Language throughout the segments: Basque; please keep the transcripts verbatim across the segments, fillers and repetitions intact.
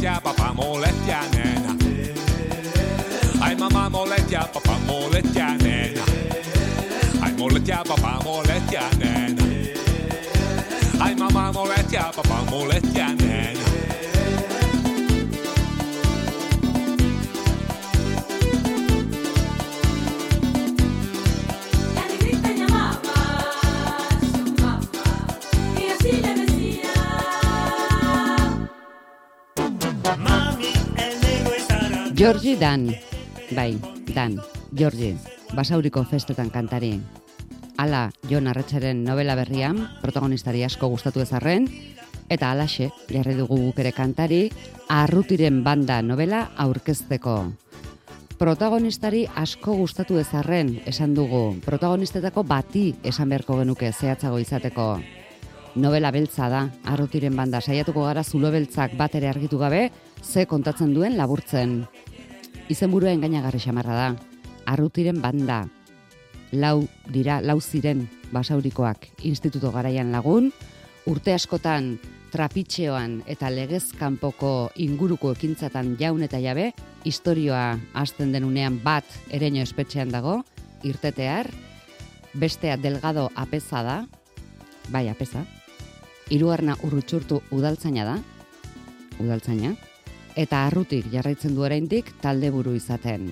molestia, papá molestia, nena. Ay, mamá molestia, papá molestia, nena. Ay, molestia, papá molestia, nena. Ay, mamá molestia, papá molestia, nena. Georgie Dan, bai, Dan, Georgie, Basauriko festetan kantari. Hala, Jon Arretxeren novela berrian, protagonistari asko gustatu ezarren, eta halaxe, jarri dugu guk ere kantari, Arrutiren banda novela aurkezteko. Protagonistari asko gustatu ezarren, esan dugu, protagonistetako bati esan beharko genuke zehatzago izateko. Novela beltza da, Arrutiren banda, saiatuko gara zulo beltzak bat ere argitu gabe, ze kontatzen duen laburtzen. Izenburua engainagarri xamarra da, Arrutiren banda. Lau dira, lau ziren Basaurikoak instituto garaian lagun, urte askotan trapitxeoan eta legez kanpoko inguruko ekintzatan jaun eta jabe, istorioa hasten denunean bat Ereño espetxean dago, irtetear, bestea Delgado Apeza da, bai Apeza, hirugarrena Urrutxurtu udaltzaina da, udaltzaina, eta Arrutik jarraitzen du oraindik talde buru izaten.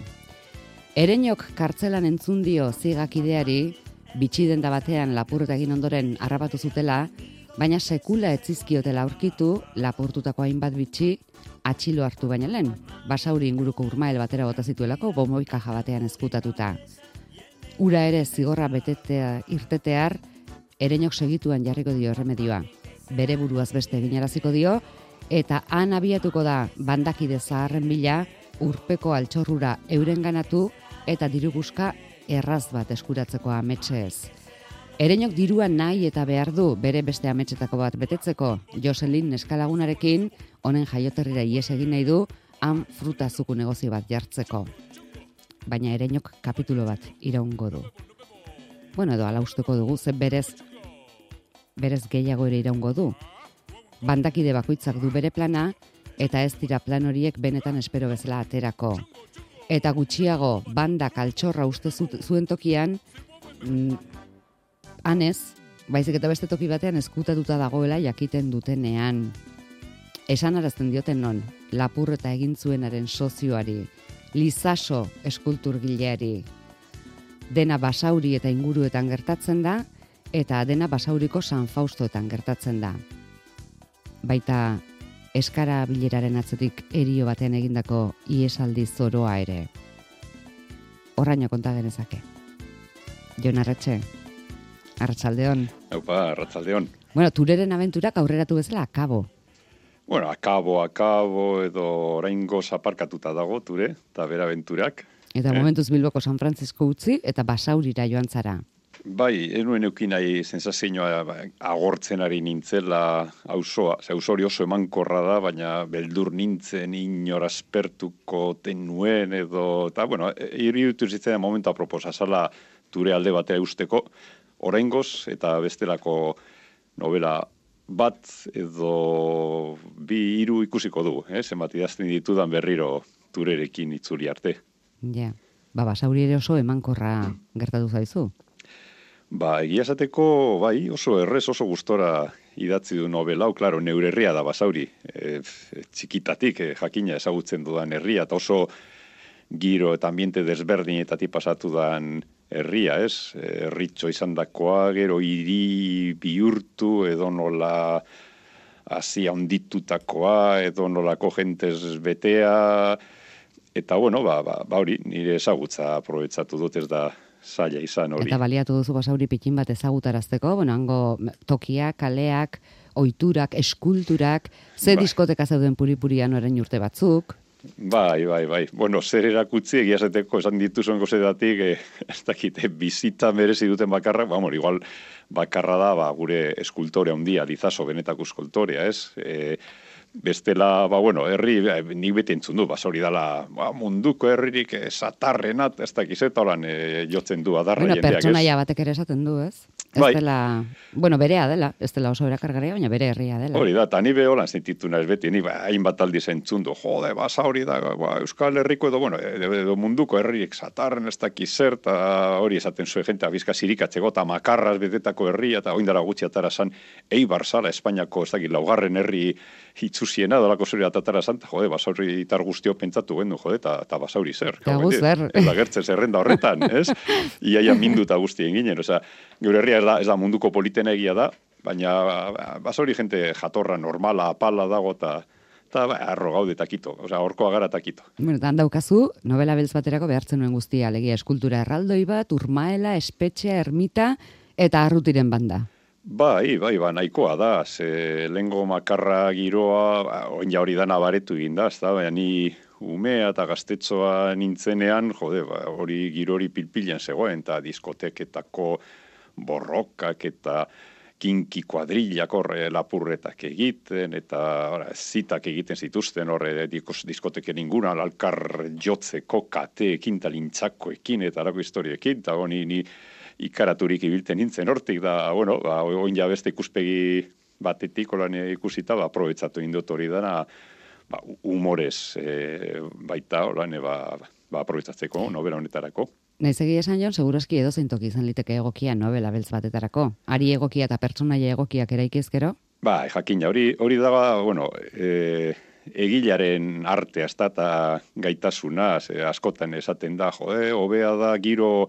Ereñok kartzelan entzun dio zigakideari, bitxidenda batean lapurreta egin ondoren harrapatu zutela, baina sekula etzizkiotela aurkitu, lapurtutako hainbat bitxi atxilo hartu baina lehen, Basauri inguruko urmael batera bota zituelako bomboikaja batean ezkutatuta. Ura ere zigorra betetea irtetear, Ereñok segituan jarriko dio erremedioa. Bere buruaz beste eginaraziko dio, eta han abiatuko da bandakide zaharren bila, urpeko altxorrura eurenganatu eta diruguska erraz bat eskuratzeko ametsez. Ereñok dirua nahi eta behar du bere beste ametsetako bat betetzeko, Joselin neskalagunarekin honen jaioterrira ies egin nahi du, han frutazuku negozio bat jartzeko. Baina Ereñok kapitulo bat iraungo du. Bueno, edo ala usteko dugu, ze berez, berez gehiago ere iraungo du. Bandakide bakoitzak du bere plana, eta ez dira plan horiek benetan espero bezala aterako. Eta gutxiago bandak altxorra uste zuen tokian, mm, hanez, baizik eta beste toki batean ezkutatuta dagoela jakiten dutenean. Esan arazten dioten non, lapurreta egin zuenaren sozioari, Lizaso eskulturgileari. Dena Basauri eta inguruetan gertatzen da, eta dena Basauriko San Faustoetan gertatzen da. Baita eskara bileraren atzetik erio batean egindako iesaldi zoroa ere. Horraino konta genezake. Jon Arretxe, arratsaldeon. Aupa, arratsaldeon. Bueno, Tureren abenturak aurreratu bezala akabo. Bueno, akabo, akabo, edo oraingoz aparkatuta dago Ture, eta bera abenturak. Eta eh? momentuz Bilboko San Francisco utzi, eta Basaurira joan zara. Bai, enuen eukin nahi sensazioa agortzen ari nintzela auzoa. Ze auzo hori oso emankorra da, baina beldur nintzen inor aspertuko tenuen edo... Eta, bueno, iruditu zitzen momentu aproposa, zala Ture alde batera usteko, oraingoz eta bestelako novela bat edo bi hiru ikusiko du, eh? Zenbat idazten ditudan berriro Turerekin itzuli arte. Ja, ba, Basauri ere oso emankorra gertatu zaizu. Ba, egia esateko, bai, oso errez, oso gustora idatzi du novela, hau, klaro, neure herria da Basauri. E, txikitatik, e, jakina ezagutzen dudan herria, eta oso giro eta ambiente desberdinetatik pasatu dan herria, ez? Herritxo izan dakoa, gero hiri bihurtu, edo nola hasia onditutakoa, edo nolako jentez betea, eta bueno, ba, ba, ba hori, nire ezagutza aprobetsatu dut, ez da zaila izan hori. Eta baliatu duzu Basauri pikin bat ezagutarazteko, bueno, hango tokiak, kaleak, ohiturak, eskulturak, ze bai. Diskoteka zeuden puripurian orain urte batzuk. Bai, bai, bai. Bueno, zer erakutzi egia esateko esan dituzuen gozedatik, eh, ez dakite, bizita merezi duten bakarrak, ba, igual bakarra da, ba, gure eskultorea handia, Lizaso benetako eskultorea, ez? E, bestela, ba, bueno, herri, nik beti entzun du, Basauri dala, ba, munduko herririk eh, satarrenat, ez dakiz eta holan eh, jotzen du adarra bueno, jendeak, ez? Pertsonaia batek ere esaten du, ez? Ez bai. dela, bueno, berea dela, ez dela oso erakargarria, baina bere herria dela. Hori da, eta ni beholan sentitu naiz beti, ni ba, hainbat aldi zentzundu, jode, basa hori da, ba, Euskal Herriko edo, bueno, edo, edo munduko herriek satarren ez dakiz zer, eta hori esaten zuen jente, abizka zirikatzeko, eta makarraz betetako herria, eta oindara gutxi atara zan, Eibar zala, Espainiako, ez dakit, laugarren herri hitzuziena, dolako zuri atatara zan, jode, basauri itar guztio pentsatu gendu, jode, eta, eta basauri zer. Eta gu zer. Ez da gertzen zerrenda horretan, ez? Iaia minduta guztien ginen, osea, gure herria ez da, ez da munduko politena egia da, baina basauri jente jatorra normala, apala dago, eta eta ba, arro gaude takito, osea, horkoa gara takito. Bueno, eta handaukazu, novela beltz baterako behartzen nuen guztia, alegia eskultura erraldoi bat, urmaela, espetxea, ermita, eta arrutiren banda. Bai, bai, ba, nahikoa da, ze lengo makarra giroa, oin ja hori dana baretu egin da, ez da, baina ni umea eta gaztetxoa nintzenean, jode, ba, hori girori pilpilen zegoen, eta diskoteketako borrokak eta kinki kuadrillak horre lapurretak egiten, eta ora, zitak egiten zituzten horre diskoteken inguran, alkar jotzeko kateekin, talintzakoekin, eta arako historiekin, eta honi ni ikaraturik ibilten nintzen hortik, da, bueno, ba, oin ja beste ikuspegi batetik olan ikusita, ba, aprobetsatu indot hori dana, ba, humorez e, baita, olan, ba, ba, aprobetsatzeko novela honetarako. Naiz egia esan jon, segurazki edo zeintoki izan liteke egokia novela beltz batetarako. Ari egokia eta pertsonaia egokiak eraikizkero? Ba, jakina, hori hori da, bueno, e, egilaren artea ez da, eta gaitasuna, ze, askotan esaten da, jode, hobea da giro,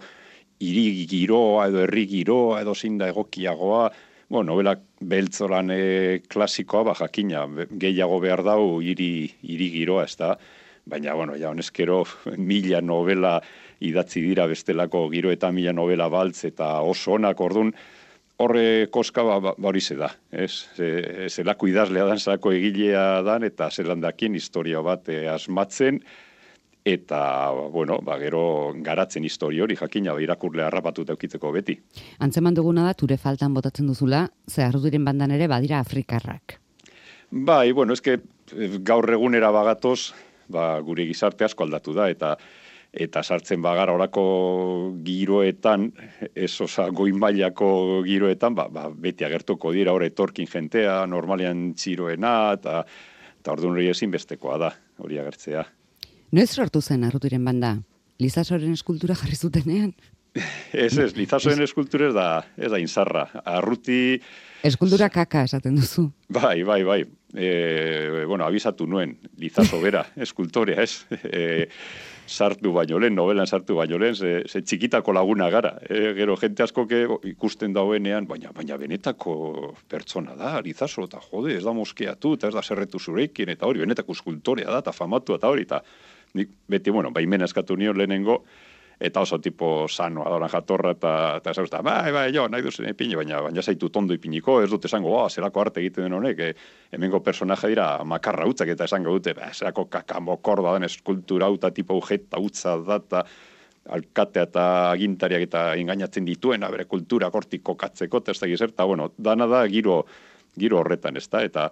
hiri giroa edo herri giroa edo zein da egokiagoa, bueno, novela beltzolan e, klasikoa, ba, jakina, gehiago behar dau hiri hiri giroa ez da, baina, bueno, ja, honezkero, mila novela idatzi dira bestelako giro eta mila novela baltz eta oso onak, ordun horre koska ba, ba, hori ze da, ez? E, zelako idazlea dan, zelako egilea dan, eta zelandakin historia bat e, asmatzen, eta, bueno, ba, gero garatzen historia hori, jakina, ba, irakurle harrapatuta eukitzeko beti. Antzeman duguna da, ture faltan botatzen duzula, ze arrudiren bandan ere badira afrikarrak. Bai, bueno, eske gaur egunera bagatoz, ba, gure gizarte asko aldatu da, eta eta sartzen bagara orako giroetan, ez osa goinmailako giroetan, ba, ba, beti agertuko dira hor etorkin jentea, normalean txiroena, eta, eta orduan hori ezinbestekoa da, hori agertzea. Noiz sortu zen arrutiren banda? Lizasoren eskultura jarri zutenean? Ez ez, Lizasoren eskultura ez da, ez da inzarra. Arruti... Eskultura kaka esaten duzu. Bai, bai, bai. E, bueno, abisatu nuen, Lizaso bera, eskultorea, ez? E, sartu baino lehen, novelan sartu baino lehen, ze, ze txikitako laguna gara. E, gero, jente asko ikusten dauenean, baina, baina benetako pertsona da, Lizaso, eta jode, ez da moskeatu, eta ez da zerretu zureikin, eta hori, benetako eskultorea da, eta famatu, eta hori, eta nik beti, bueno, baimena eskatu nion lehenengo, eta oso tipo sano, adoran jatorra, eta, eta esan usta, bai, bai, jo, nahi duzen ipini, baina, baina zaitu tondo ipiniko, ez dute esango, ba, zerako arte egiten den honek, e, hemengo personaje dira makarra utzak, eta esango dute, ba, zerako kakamokorda den eskultura uta, tipo ujeta utza data, alkatea eta agintariak eta engainatzen dituena, bere kultura kortik kokatzeko, eta ez da gizert, eta, bueno, dana da giro, giro horretan, ez da, eta,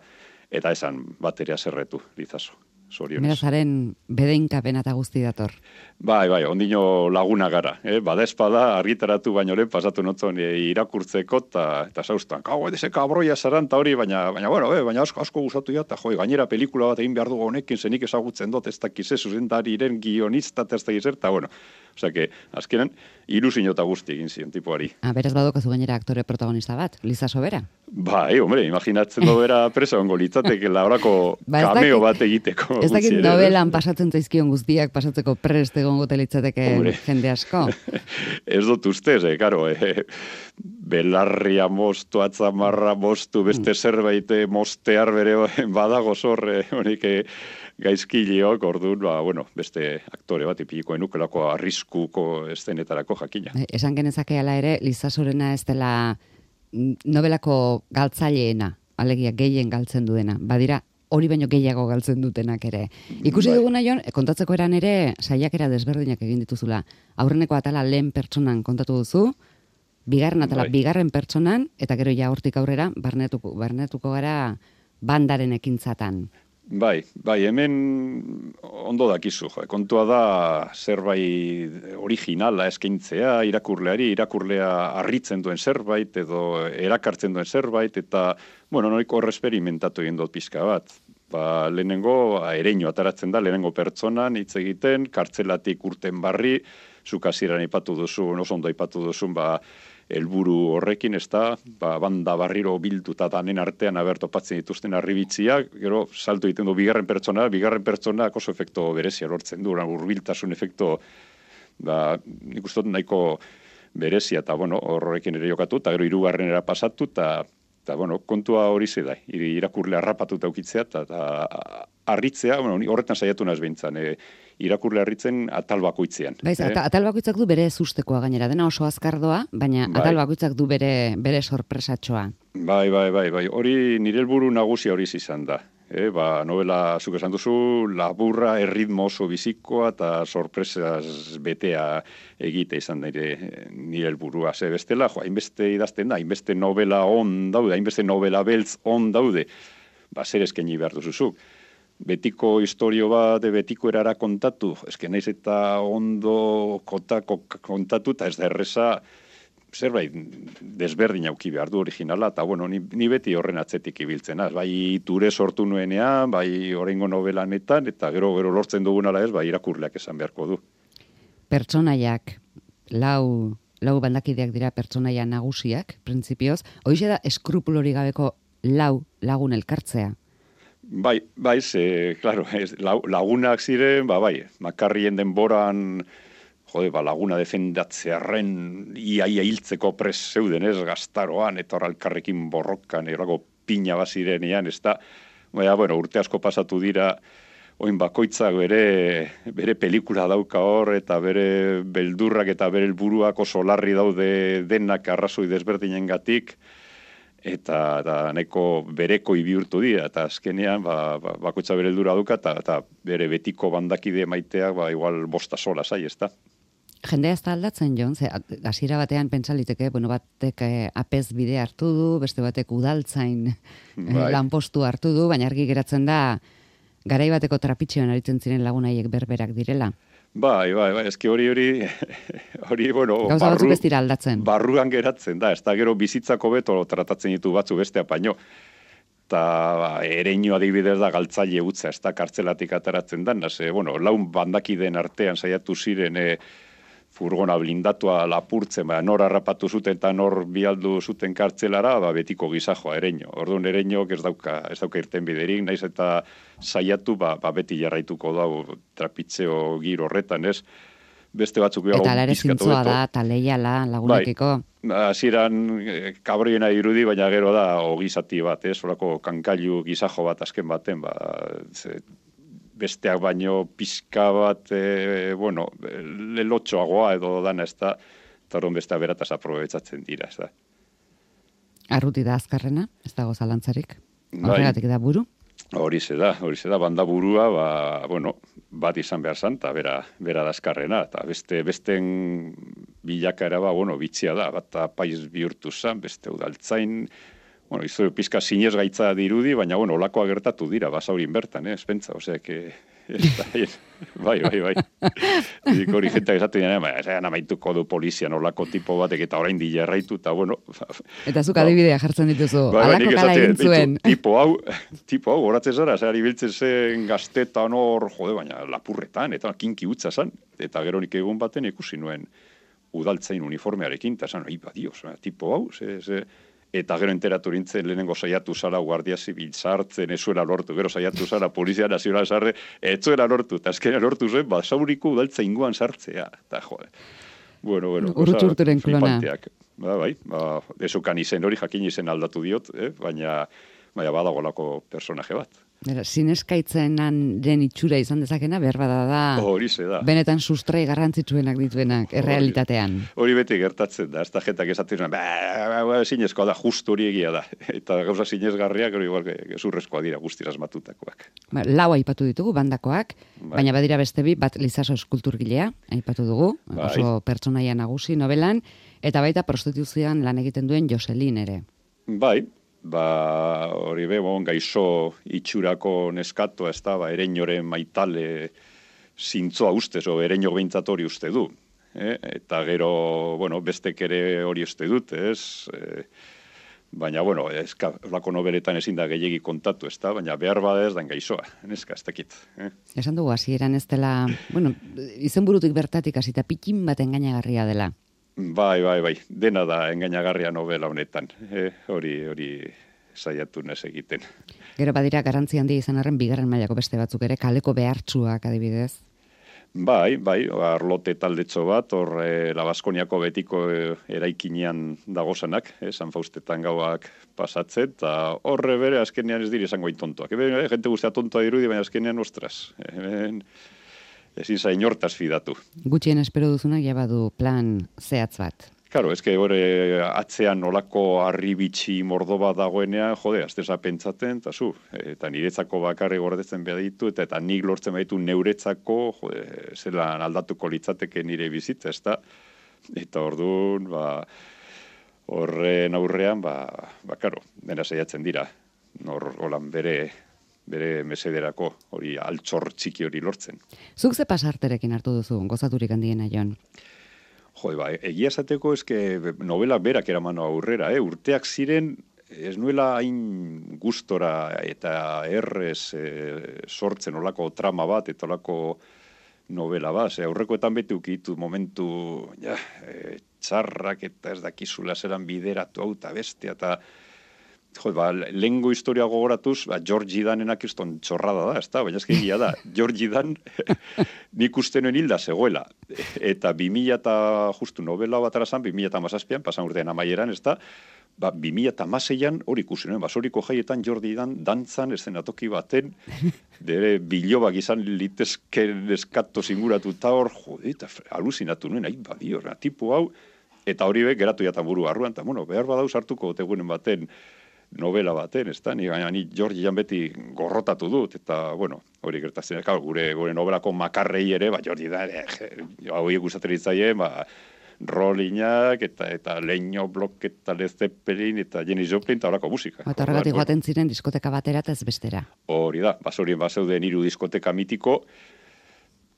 eta esan bateria zerretu, Lizaso. Merazaren bedeinkapena eta guzti dator. Bai, bai, ondino laguna gara. Eh? Bada espada, argitaratu baino lehen pasatu notzon e, irakurtzeko, eta eta zauztan, kau, edese kabroia zaranta hori, baina, baina, bueno, eh, baina asko, asko gustatu ja, eta joi, gainera pelikula bat egin behar dugu honekin, zenik ezagutzen dut, ez dakize, zuzendariren guionista, ez dakize, eta bueno, osea, que, azkenan, ilusio eta guzti egin zion tipuari. Ah, beraz badokazu gainera aktore protagonista bat, Lizaso bera? Bai, hombre, imaginatzen du bera presa ongo litzateke laurako ba, cameo bat egiteko. Ez dakit novelan pasatzen zaizkion guztiak pasatzeko prest egongo litzateke jende asko. Ez dut ustez, eh, karo, eh, belarria mostu, atzamarra mostu, beste mm. zerbait mostear bere badago zorre, honik gaizkiliok, orduan, ba, bueno, beste aktore bat ipilikoen nukelako arriskuko eszenetarako jakina. Esan genezake ala ere, Lizasorena ez dela novelako galtzaileena, alegia gehien galtzen duena. Badira, hori baino gehiago galtzen dutenak ere. Ikusi bai. Duguna jon, kontatzeko eran ere, saiakera desberdinak egin dituzula. Aurreneko atala lehen pertsonan kontatu duzu, bigarren atala bai. Bigarren pertsonan, eta gero ja hortik aurrera, barnetuko, barnetuko gara bandaren ekintzatan. Bai, bai, hemen ondo dakizu, jo. Kontua da zerbait originala eskaintzea irakurleari, irakurlea harritzen duen zerbait edo erakartzen duen zerbait, eta, bueno, noiko horresperimentatu egin dut pizka bat. Ba, lehenengo ereño ataratzen da, lehenengo pertsonan hitz egiten, kartzelatik urten barri, zuk hasieran aipatu duzun, oso ondo aipatu duzun, ba, helburu horrekin, ez da, ba, banda barriro bilduta danen artean aber topatzen dituzten arribitziak, gero salto egiten du bigarren pertsona, bigarren pertsona oso efekto berezia lortzen du, hurbiltasun efekto, ba, nik uste dut nahiko berezia, eta bueno, horrekin ere jokatu, eta gero hirugarrenera pasatu, eta eta bueno, kontua hori ze da, irakurle harrapatuta ukitzea, eta harritzea, bueno, horretan saiatu naz behintzan, e, irakurle harritzen atal bakoitzean. Baiz, eh? atal bakoitzak du bere sustekoa gainera, dena oso azkardoa, baina bai. Atal bakoitzak du bere, bere sorpresatxoa. Bai, bai, bai, bai, hori nire helburu nagusia hori izan da. E, ba, novela, zuk esan duzu, laburra, erritmo oso bizikoa eta sorpresaz betea egite izan da nire, nire helburua. Ze bestela, jo, hainbeste idazten da, hainbeste novela on daude, hainbeste novela beltz on daude, ba, zer eskaini behar duzuzuk. Betiko historio bat, betiko erara kontatu, eske naiz eta ondo kotako kontatu, eta ez da erreza, zerbait desberdin auki behar du originala, eta bueno, ni, ni beti horren atzetik ibiltzen, az, bai ture sortu nuenean, bai oraingo novelanetan, eta gero gero lortzen dugun ala ez, bai irakurleak esan beharko du. Pertsonaiak, lau, lau bandakideak dira pertsonaia nagusiak, printzipioz, hoize da eskrupulori gabeko lau lagun elkartzea. Bai, bai, ze, claro, ez, lagunak ziren, ba, bai, makarrien denboran, jode, ba, laguna defendatzearen iaia hiltzeko pres zeuden, ez, gaztaroan, eta hor alkarrekin borrokan, errago pina bazirenean, ez da, baina, bueno, urte asko pasatu dira, oin bakoitzak bere, bere pelikula dauka hor, eta bere beldurrak eta bere helburuak oso larri daude denak arrazoi desberdinengatik, eta, eta nahiko bereko bihurtu dira, eta azkenean ba, ba, bakoitza bere heldura dauka, eta, eta bere betiko bandakide maiteak ba, igual bosta sola zai, ez da. Jendea ez da aldatzen, Jon, ze hasiera batean pentsaliteke, bueno, batek eh, apez bide hartu du, beste batek udaltzain bai. Lanpostu hartu du, baina argi geratzen da, garai bateko trapitxean aritzen ziren lagunaiek berberak direla. Bai, bai, bai, eski hori hori, hori, bueno, gauza batzuk ez dira aldatzen. Barruan geratzen da, ez da gero bizitzako beto tratatzen ditu batzu bestea paino. Eta ba, ereño adibidez da galtzaile utza, ez da kartzelatik ataratzen dan, ze, bueno, laun bandakideen artean saiatu ziren e, furgona blindatua lapurtzen, ba, nor harrapatu zuten eta nor bialdu zuten kartzelara, ba, betiko gizajoa ereño. Orduan ereñok ez dauka, ez dauka irten biderik, naiz eta saiatu, ba, ba beti jarraituko dau trapitzeo gir horretan, ez? Beste batzuk eta alare zintzoa da, eta leiala lagunekiko. Bai, hasieran kabriena irudi, baina gero da ogizati bat, ez? Horako kankailu gizajo bat azken baten, ba, ze, besteak baino pizka bat, e, bueno, lelotxoagoa edo dana ez da, eta horren bestea berataz aprobetsatzen dira, ez da. Arruti da azkarrena, ez dago zalantzarik, horregatik da buru? Hori ze da, hori ze da, banda burua, ba, bueno, bat izan behar zan, eta bera, bera da azkarrena, eta beste, besten bilakaera, ba, bueno, bitxia da, bat apaiz bihurtu zan, beste udaltzain, bueno, izo pizka zinez gaitza dirudi, baina, bueno, olakoa gertatu dira, basaurin bertan, eh, espentza, osea, que... bai, bai, bai. Dik hori jentak esatu dira, esan amaituko du polizian olako tipo batek eta orain dila erraitu, eta bueno... Eta zuk adibidea jartzen dituzu, bai, alako kala egin zuen. Tipo hau, tipo hau, horatzen zara, zehari biltzen zen gaztetan hor, jode, baina lapurretan, eta kinki utza zan, eta gero nik egun baten ikusi nuen udaltzain uniformearekin, eta zan, iba, dios, tipo hau, ze... ze eta gero enteratu nintzen lehenengo saiatu zara guardia zibil sartzen, ez zuela lortu, gero saiatu zara polizia nazional sarre, ez zuela lortu, eta azkenean lortu zen, ba, sauriko udaltza inguan sartzea, eta jode. Bueno, bueno, urturturen klona. Ba, bai, ba, esukan izen hori jakin izen aldatu diot, eh? baina, baina badagolako personaje bat. Bera, zineskaitzen den itxura izan dezakena, behar bada da, hori ze da. Benetan sustrai garrantzitsuenak dituenak, errealitatean. Hori beti gertatzen da, ez da jetak esatzen, zinezkoa da, justu hori egia da. Eta gauza zinezgarriak, hori igual, gezurrezkoa dira guztira asmatutakoak. Ba, lau aipatu ditugu, bandakoak, bai. Baina badira beste bi, bat Lizaso eskulturgilea, aipatu dugu, bai. Oso pertsonaia nagusi novelan, eta baita prostituzioan lan egiten duen Joselin ere. Bai, ba, hori be, bon, gaixo itxurako neskatua, ez da, ba, ereinoren maitale zintzoa ustez, o ereino behintzat hori uste du. Eh? Eta gero, bueno, bestek ere hori uste dut, ez? Eh, baina, bueno, ezka, olako nobeletan ezin da gehiegi kontatu, ez da? Baina behar bada ez da gaixoa, neska, ez dakit. Eh? Esan dugu, hasieran ez dela, bueno, izenburutik bertatik hasita pikin bat engainagarria dela. Bai, bai, bai, dena da engainagarria novela honetan, eh? hori, hori saiatu nez egiten. Gero badira garrantzi handia izan arren bigarren mailako beste batzuk ere, kaleko behartsuak adibidez. Bai, bai, arlote taldetxo bat, hor e, La Baskoniako betiko e, eraikinean dagozanak, e, San Faustetan gauak pasatzen, eta horre bere azkenean ez dire esango tontoak. Ebe, e, jente guztia tontoa dirudi, baina azkenean, ostras, e, ezin zain hortaz fidatu. Gutxien espero duzunak ja badu plan zehatz bat. Claro, eske hori atzean nolako harribitxi mordo bat dagoenean, jode, azteza pentsaten, eta zu, eta niretzako bakarri gordetzen behar ditu, eta, eta nik lortzen baditu neuretzako, jode, zelan aldatuko litzateke nire bizitza, ez da? Eta orduan, ba, horren aurrean, ba, ba, karo, dena saiatzen dira, nor, holan bere, bere mesederako, hori altxor txiki hori lortzen. Zuk ze pasarterekin hartu duzu, gozaturik handiena, Jon? Jo, ba, egia esateko eske novela berak eraman aurrera, eh? Urteak ziren ez nuela hain gustora eta errez eh, sortzen olako trama bat eta olako novela bat. Ze aurrekoetan beti ukitu momentu ja, e, txarrak eta ez dakizula zelan bideratu hau eta bestia eta jo, ba, lehengo historia gogoratuz, ba, George Danenak izton txorrada da, ez da? Baina ezke egia da, George Dan nik uste noen hilda zegoela. Eta bi mila eta justu novela bat arazan, bi mila eta mazazpian, pasan urtean amaieran, ez da? Ba, bi mila eta mazeian hori ikusi noen, basoriko jaietan Jordi Dan dantzan eszenatoki baten, dere bilobak izan litezken eskato zinguratuta hor, jode, eta aluzinatu nuen, ahi badio, tipu hau, eta hori be, geratu jatan buru barruan, eta bueno, behar badau sartuko tegunen baten, novela baten, ez da? Ni gaina ni Georgian beti gorrotatu dut, eta, bueno, hori gertatzen, gure, gure novelako makarrei ere, ba, Jordi da, hau gustatzen ditzaien, ba, Rollinak, eta, eta Leño Blok, eta Led Zeppelin, eta Jenny Joplin, eta horako musika. Eta horregatik joaten ziren diskoteka batera eta ez bestera. Hori da, basorien bazeuden hiru diskoteka mitiko,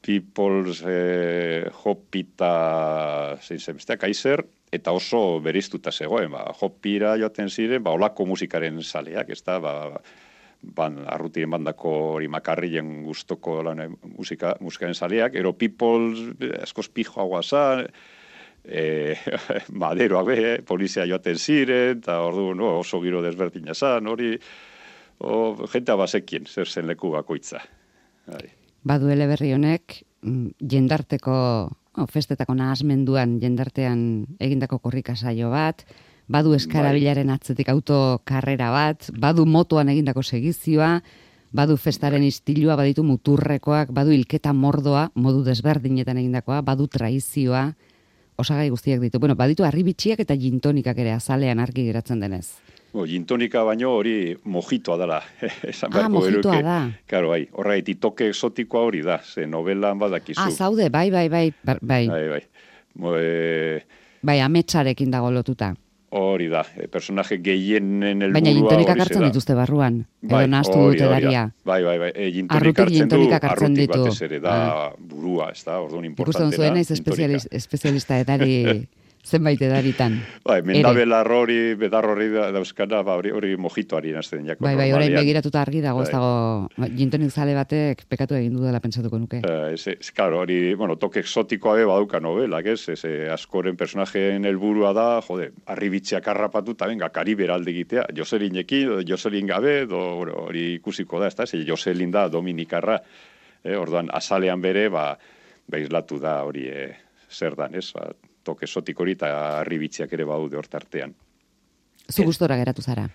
People's eh, Hopita, zein zen bestea, Kaiser, eta oso beriztuta zegoen, ba, Hopira joaten ziren, ba, olako musikaren saleak, ez da, ba, ban, arrutiren bandako hori makarrien gustoko lan, musika, musikaren saleak, ero People's, askoz pijoa guazan, e, maderoak be, polizia joaten ziren, eta ordu no, oso giro desberdina zan, hori, o, jentea bazekien, zer zen leku bakoitza. Hai. Badu eleberri honek, jendarteko, oh, festetako nahasmenduan jendartean egindako korrika saio bat, badu eskarabilaren atzetik autokarrera bat, badu motoan egindako segizioa, badu festaren istilua, baditu muturrekoak, badu hilketa mordoa, modu desberdinetan egindakoa, badu traizioa, osagai guztiak ditu. Bueno, baditu harribitxiak eta gintonikak ere azalean argi geratzen denez. Bo, gintonika baino hori mojitoa dela. Ah, mojitoa da. Karo, bai, horregaiti toke exotikoa hori da, ze novelan badakizu. Ah, zaude, bai, bai, bai, bai. Bai, bai. Mo, e... bai, ametsarekin dago lotuta. Hori da, e, personaje gehienen elburua. Baina gintonikak hartzen dituzte barruan, bai, edo nahaztu dute daria. Bai, bai, bai, e, gintonik hartzen du, arrutik ditu. batez ere, da ah. burua, ez da, orduan importante da. Ikusten zuen naiz espezialista edari... zenbait edaritan. Bai, mendabela hori, bedar hori dauzkana, ba, hori, hori mojitoari nazten jako. Bai, bai, orain begiratuta argi dago, ez dago, gintonik zale batek pekatu egin du dela pentsatuko nuke. Uh, ez, ez, claro, hori, bueno, toke exotikoa be baduka novelak, ez, ez, askoren personajeen helburua da, jode, arribitziak harrapatu, eta venga, Karibera alde egitea, Joselinekin, Joselin gabe, do, hori ikusiko da, ez da, ez, Joselin da Dominikarra, eh, orduan, azalean bere, ba, behizlatu da hori, eh, zer dan, ez, ba, toke sotik hori eta arribitziak ere baude hortartean. Zu gustora geratu zara?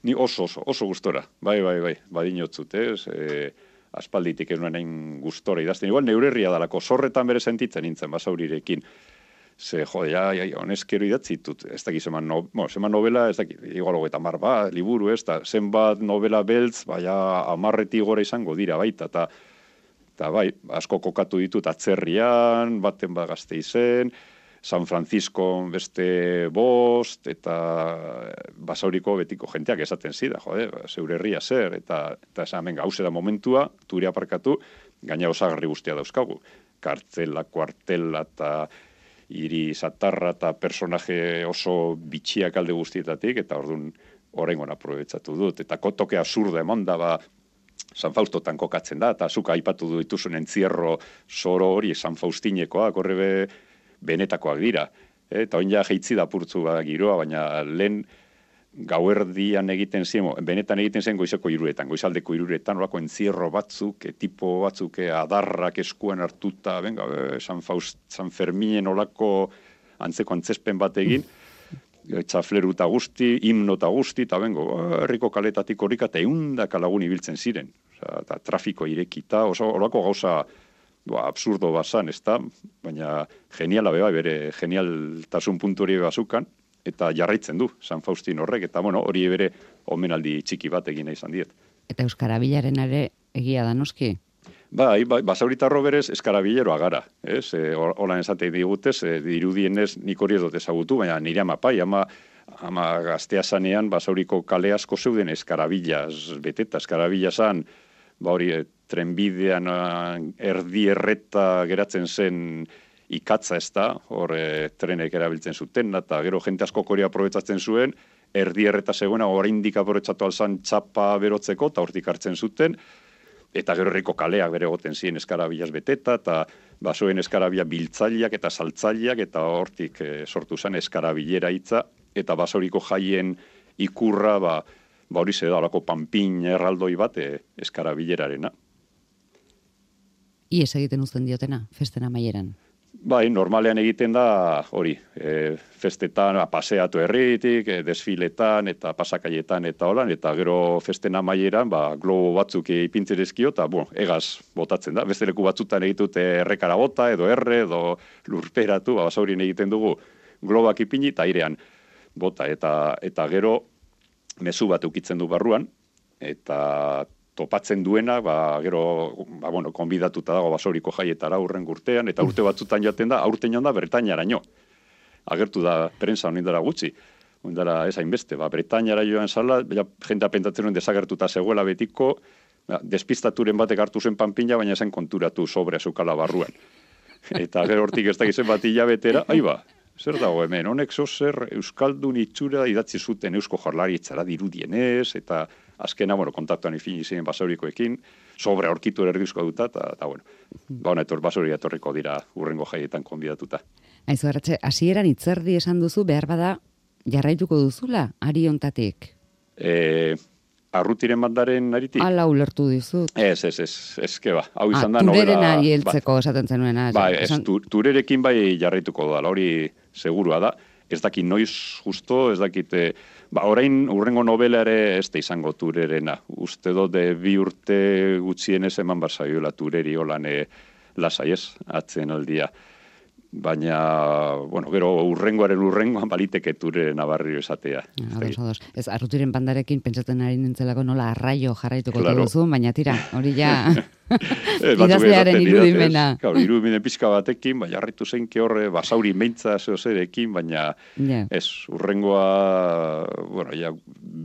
Ni oso, oso, oso gustora. Bai, bai, bai, badinotzut, ez? E, aspalditik ez nuen hain gustora idazten. Igual neurerria dalako, zorretan bere sentitzen nintzen, basaurirekin. Ze, jode, ja, ja, honezkero idatzitut. Ez dakit, zeman, no, bueno, zeman novela, ez dakit, igual hogeita mar bat, liburu, ez da, zenbat novela beltz, baina amarreti gora izango dira, baita, eta, eta bai, asko kokatu ditut atzerrian, baten bat Gasteizen, San Francisco beste bost, eta Basauriko betiko jenteak esaten zida, jode, zeure herria zer, eta, eta esan, venga, hause da momentua, ture aparkatu, gaina osagarri guztia dauzkagu. Kartzela, kuartela, eta hiri satarra, eta personaje oso bitxiak alde guztietatik, eta orduan oraingoan aprobetxatu dut. Eta toke absurda eman da, ba, San Faustotan kokatzen da, eta zuka aipatu du dituzun entzierro soro hori San Faustinekoak, horre be, benetakoak dira. Eta oin ja jeitzi da purtzu ba, giroa, baina lehen gauerdian egiten zien, benetan egiten zen goizeko iruretan, goizaldeko iruretan, orako entzierro batzuk, e, tipo batzuk, e, adarrak eskuan hartuta, venga, e, San Faust, San Ferminen olako antzeko antzespen bat egin, txafleru eta guzti, himno eta guzti, eta bengo, herriko kaletatik horrika, eta eundaka lagun ibiltzen ziren. Osa, eta trafiko irekita, oso horako gauza ba, absurdo bazan, ez da, baina geniala beba, bere genialtasun puntu hori bazukan, eta jarraitzen du San Faustin horrek, eta bueno, hori bere omenaldi txiki bat egin izan diet. Eta Euskara Bilaren ere egia da noski? Bai, bai, Basauritarro berez eskarabileroa gara, ez? E, Holan esate digutez, e, dirudienez nik hori ez dut ezagutu, baina nire ama pai, ama, ama gaztea zanean Basauriko kale asko zeuden eskarabilaz beteta, eskarabila zan, ba hori, e, trenbidean erdi erreta geratzen zen ikatza ez da, hor e, trenek erabiltzen zuten, eta gero jente asko hori aprobetsatzen zuen, erdi erreta zegoena oraindik aprobetsatu alzan txapa berotzeko, eta hortik hartzen zuten, eta gero herriko kaleak bere goten ziren eskarabilaz beteta, eta basoen eskarabila biltzaileak eta saltzaileak, eta hortik e, sortu zen eskarabilera hitza, eta Basauriko jaien ikurra, ba, ba hori ze da, horako panpin erraldoi bat e, eskarabilerarena. Ies egiten uzten diotena, festen amaieran? Bai, normalean egiten da hori, e, festetan, paseatu herritik, e, desfiletan, eta pasakaietan, eta holan, eta gero festen amaieran, ba, globo batzuk ipintzerezkio, eta, bueno, egaz botatzen da. Beste leku batzutan egitute errekara bota, edo erre, edo lurperatu, ba, Basaurien egiten dugu globak ipini, eta airean bota, eta, eta gero mezu bat ukitzen du barruan, eta topatzen duena, ba, gero, ba, bueno, konbidatuta dago Basauriko jaietara urren urtean, eta urte batzutan jaten da, aurten joan da Bretainaraino. Agertu da prensa honindara gutxi, honindara ez hainbeste, ba, Bretainara joan zala, ja, jendea pentatzen nuen desagertuta zegoela betiko, ba, despistaturen batek hartu zen panpina, baina zen konturatu sobre azukala barruan. Eta gero hortik ez dakizen bat hilabetera, ai ba, zer dago hemen, honek zozer Euskaldun itxura idatzi zuten Eusko Jaurlaritzara dirudienez, eta azkena, bueno, kontaktuan ifini ziren Basaurikoekin, sobre aurkitu erdizko duta, eta, eta bueno, ba honetor Basauri etorriko dira urrengo jaietan konbidatuta. Aizu, Arratxe, hasieran hitzerdi esan duzu, behar bada jarraituko duzula, ari hontatik? E, arrutiren bandaren aritik? Ala ulertu dizut. Ez, ez, ez, ez, ba, hau izan ah, da novela... Tureren ari heltzeko esaten zenuena. Ba, ez, esan... turerekin bai jarraituko da, hori segurua da, ez dakit noiz justo, ez dakit... Ba, orain urrengo novela ere ez da izango turerena. Uste dut bi urte gutxienez eman barzaioela tureri holan e, lasai ez, atzen aldia. Baina, bueno, gero urrengoaren urrengoan baliteke turerena barrio esatea. Ados, ados. Ez, arrutiren bandarekin pentsatzen ari nintzelako nola arraio jarraituko claro. duzu, baina tira, hori ja idazlearen irudimena. Gaur, irudimenen pixka batekin, baina jarraitu zeinke horre Basauri meintza zeozerekin, baina yeah. ez, urrengoa, bueno, ja,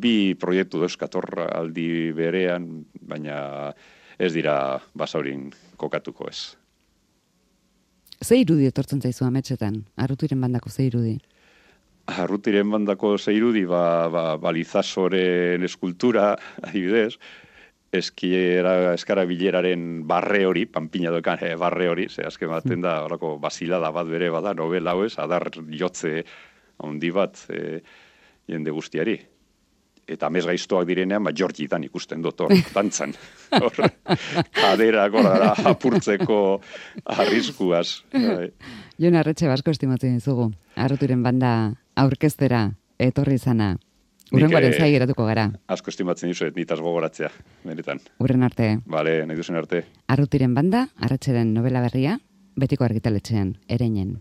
bi proiektu dauzkatorra aldi berean, baina ez dira Basaurin kokatuko ez. Ze irudi etortzen zaizu ametsetan? Arrutiren bandako ze irudi? Arrutiren bandako ze irudi, ba, ba, balizasoren eskultura, adibidez, eskiera, eskarabileraren barre hori, panpina dokan eh, barre hori, ze azken baten da, horako basilada bat bere bada, novela hau ez, adar jotze handi bat eh, jende guztiari. Eta amez gaiztoak direnean, ba, Georgitan ikusten dut hor, dantzan. Hor, kaderak horara apurtzeko arriskuaz. Jon Arretxe basko estimatzen dizugu. Arrutiren banda aurkeztera etorri izana. Urrengoaren zai geratuko gara. Asko estimatzen dizuet, nitaz gogoratzea, benetan. Urren arte. Bale, nahi duzen arte. Arrutiren banda, Arretxeren novela berria, betiko argitaletxean, Ereinen.